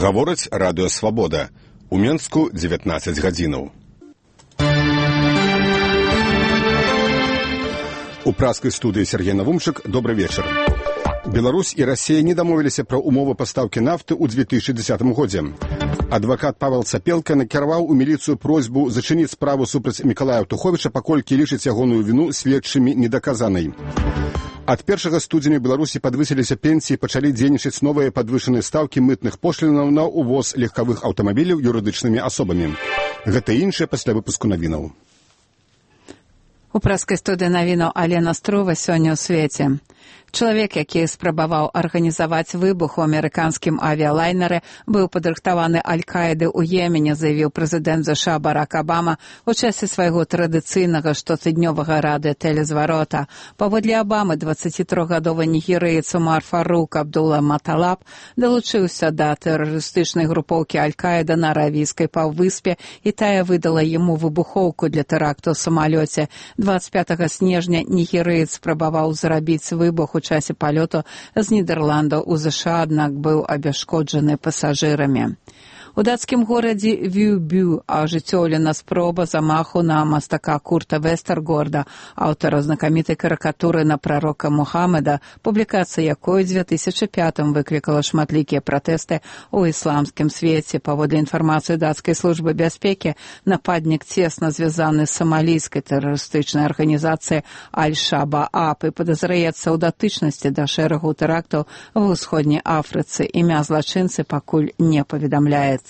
Гаворыць радыё «Свабода». У Менску 19 гадзінаў. У праскай студыі Сергей Навумчык. Добрый вечар. Беларусь і Расія не дамовіліся пра ўмовы пастаўкі нафты ў 2010 годзе. Адвакат Павел Цапелка накіраваў у міліцыю просьбу зачыніць справу супраць Мікалая Аўтуховіча, паколькі лічыць ягоную віну следчымі недаказанай. Ад 1 студзеня Беларусі падвысіліся пенсіі, пачалі дзейнічаць новыя падвышаныя стаўкі мытных пошлінаў на ўвоз легкавых аўтамабіляў юрыдычнымі асобамі. Гэта і іншае пасля выпуску навінаў. У праскай студыі навінаў Алена Струва сёння ў свеце. Чалавек, які спрабаваў арганізаваць выбух у амерыканскім авіялайнеры, быў падрыхтаваны Аль-Каіды ў Йемене, заявіў прэзідэнт США Барак Абама у часе свайго традыцыйнага штотыднёвага радыётэлезварота. Паводле Абамы, 23-гадовы нігерыец Умар Фарук Абдула Маталаб далучыўся да тэрарыстычнай групоўкі Аль-Каіда на Аравійскай паўвыспе, і тая выдала яму выбухоўку для тэракту ў самалёце. 25 снежня нігерыец спрабаваў зрабіць выбух у часе палёту з Нідерландаў у ЗША, аднак быў абяшкоджаны пасажырамі. У дацкім горадзе Вюбю ажыццёўлена спроба замаху на мастака Курта Вестергорда, аўтара знакамітай карыкатуры на прарока Мухаммеда, публікацыя якой у 2005 выклікала шматлікія пратэсты ў ісламскім свеце. Паводле інфармацыі дацкай службы бяспекі, нападнік цесна звязаны з самалійскай тэрарыстычнай арганізацыяй Аль-Шабааб і падазраецца ў датычнасці да шэрагу тэрактаў ва ўсходняй Афрыцы. Імя злачынцы пакуль не паведамляецца.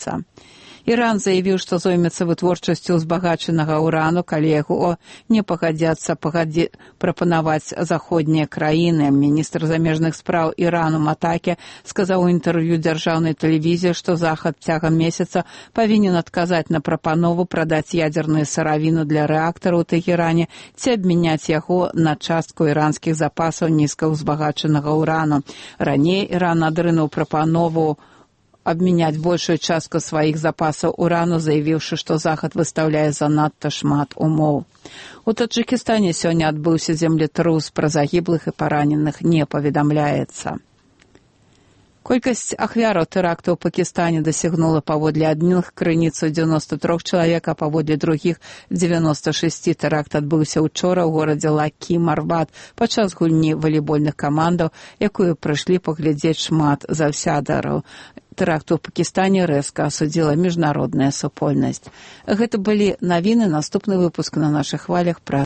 Іран заявіў, што зоймецца вытворчасцю узбагачанага ўрану, калі яго не пагадзяцца прапанаваць заходнія краіны. Міністр замежных спраў Ірану Матакі сказаў у інтэрв'ю дзяржаўнай тэлевізіі, што Захад цягам месяца павінен адказаць на прапанову прадаць ядзерную сыравіну для рэактараў у Тэхеране ці абмяняць яго на частку іранскіх запасаў нізкаўзбагачанага ўрану. Раней Іран адрынуў прапанову абмяняць большую частку сваіх запасаў урану, заявіўшы, што Захад выстаўляе занадта шмат умоў. У Таджыкістане сёння адбыўся землетрус, пра загіблых і параненых не паведамляецца. Колькасць ахвяраў тэракту ў Пакістане дасягнула паводле адных крыніц 93 чалавек, а паводле другіх 96. Тэракт адбыўся учора ў горадзе Лакі-Марбат падчас гульні валейбольных камандаў, якую прыйшлі паглядзець шмат заўсядараў. Тэракт у Пакістане рэзка асудзіла міжнародная супольнасць. Гэта былі навіны, наступны выпуск на нашых хвалях пра